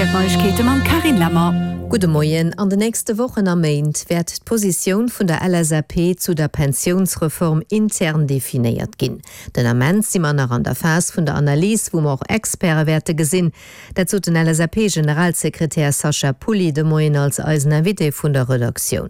Rtl Neiegkeete mam Carine Lemmer. Gudde Moien. An de nächste Wochen a Méint wäert d'Positioun vun der LSAP zu der Pensiounsreform intern definéiert ginn. Den Ament si mer nach an der Phas vun der Analys, wou mer och Experte wäerte gesinn. Dat sot den LSAP-Generalsekretär Sacha Pulli de Moien als eisen Invité vun der Redaktioun.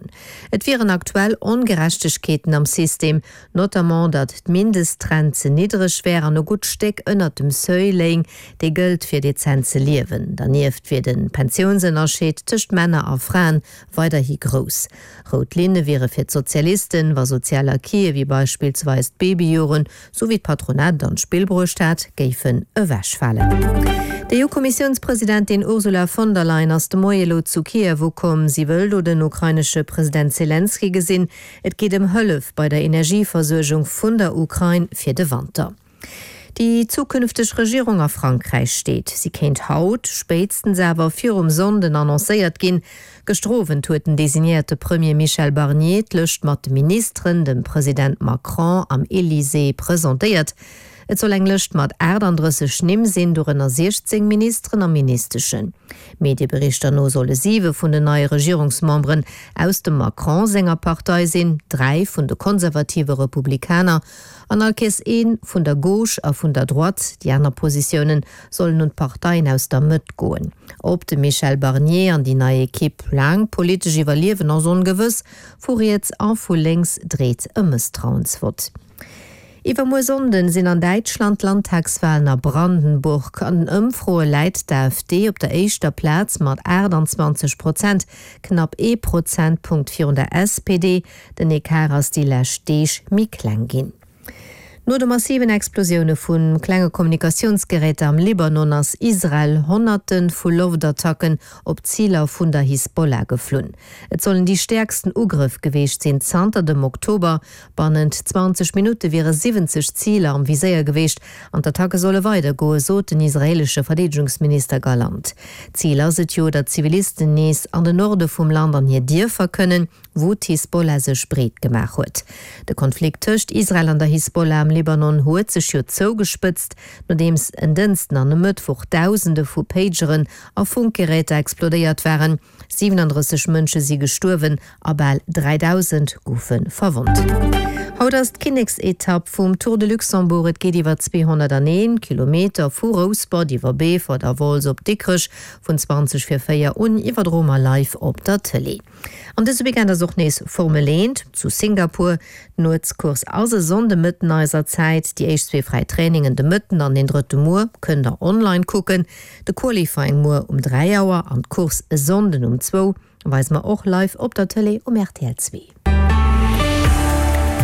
Et wieren aktuell Ongerechtegkeeten am System, Notamment datt d'Mindestrent ze niddreg wär an e gutt Stéck ënnert dem Seuil léing, dee gëllt fir dezent ze liewen. Dernieft wier de Pensiounsënnerscheed tëscht Männer a Fraen weiderhi grouss. Rout Linne wiere fir d'Sozialisten, wa sozial Acquise wéi beispillsweis d'Babyjoren, sou wéi d'Patronat et an d'Spill bruecht hat, géifen ewechfalen. D'EU-Kommissiounspresidentin Ursula von der Leyen ass de Moie elo zu Kiew ukomm. Si wëll do den ukrainesche President Selenskyj gesinn. Et geet ëm Hëllef bei der Energieversuergung vun der Ukrain fir de Wanter. Déi zukünfteg Regierung a Frankräich steet. Si kéint haut, spéitstens awer virum Sonnden annoncéiert ginn. Gëschter Owend huet den designéierte Premier Michel Barnier d'Lëscht mat de Ministeren dem President Macron am Elysée presentéiert. Et soll eng Lëscht mat 38 Nimm sinn, dorënner 16 Ministeren a Ministeschen. Medieberichter no solle siwe vun den neie Regierungsmemberen aus dem Macron senger Partei sinn, 3 vun de konservative Republikaner an all Kees ee vun der Gauche a vun der Droite. Déi aner Positioune sollen un d'Parteien aus der Mëtt goen. Ob de Michel Barnier an déi nei Ekipp laang politesch iwwerliewen ass ongewëss. Vu riets a vu lénks dreet e Mësstrauensvott. Iwwermuer Sonnden sinn an Däitschland d'Landtagswalen a Brandenburg. An den Ëmfroe läit d'AfD op der éischter Plaz mat 28 Prozent, knapp ee Prozentpunkt virun der SPD. Den Ecart ass déi lescht Deeg méi kleng ginn. No de massiven Explosioune vu klenge Kommunikatiounsgeräter am Libanon ass Israel Honnerte vu Loftattacken op Ziler vun der Hisbollah geflunn. Et sollen déi stäerksten Ugrëff geweecht sinn zanter dem Oktober. Bannent 20 Minutte wiere 70 Ziler am Viséier geweecht an d'Attacke solle weidergoen, sot den israeelesche Verdeedegungsminister Gallant. Zil ass et jo, datt Zivilisten nees an den Norde vum Land an hir Dierfer kënnen, wou d'Hisbollah sech breet gemaach huet. De Konflikt tëscht Israel an der Hisbollah am Libanon huet sech jo zougespëtzt, nodeems en Dënsten an e Mëttwoch Dausende vu Pageren a Funkgeräter explodéiert waren. 37 Mënsche si gestuerwen a bal 3.000 goufe verwonnt. Haut ass d'Kinneksetapp vum Tour de Luxembourg. Et geet iwwer 201 Kilometer vu Rouspert iwwer Beefort a Wolz op Dikrech vun 20 vir 4 un iwwerdroe mer live op der Tëlee. An dëse Weekend ass och nees Formel 1 zu Singapur. D'Nuetscourse ass e Sonndemëtten eiser Zäit. Déi éischt zwee fräi Trainingen de Mëtten an deen drëtte muer kënnt der online kucken. De Qualifying muer um 3 Auer an d'Course e Sonnden um zwou weise mer och live op der Tëlee um rtl 2.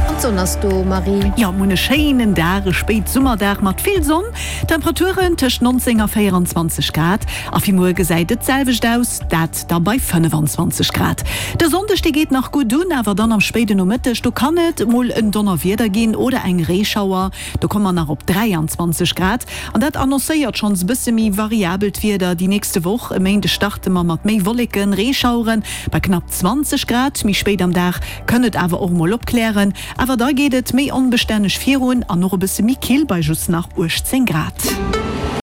An d'Sonn ass do, Marie. Jo, mir hunn e schéinen Dag, e Spéitsummerdag mat vill Sonn. Temperaturen tëscht 19 a 24 Grad. A fir muer gesäit et d'selwecht aus, dat da bei 25 Grad. De Sonndeg, dee geet nach gutt un, awer dann am spéiden Nomëtteg, do kann et mol en Donnerwieder ginn oder eng Reeschauer. Do komme mer nach op 23 Grad. An dat annoncéiert schonns e bësse méi variabelt Wieder déi nächste Woch. E Méinde starte mer mat méi Wolleken, Reeschaueren bei knapp 20 Grad. Méi spéit am Dag kënnt et awer och mol opklären, awer da geet et méi onbestänneg virun an och e bësse méi kill bei just nach 18 Grad.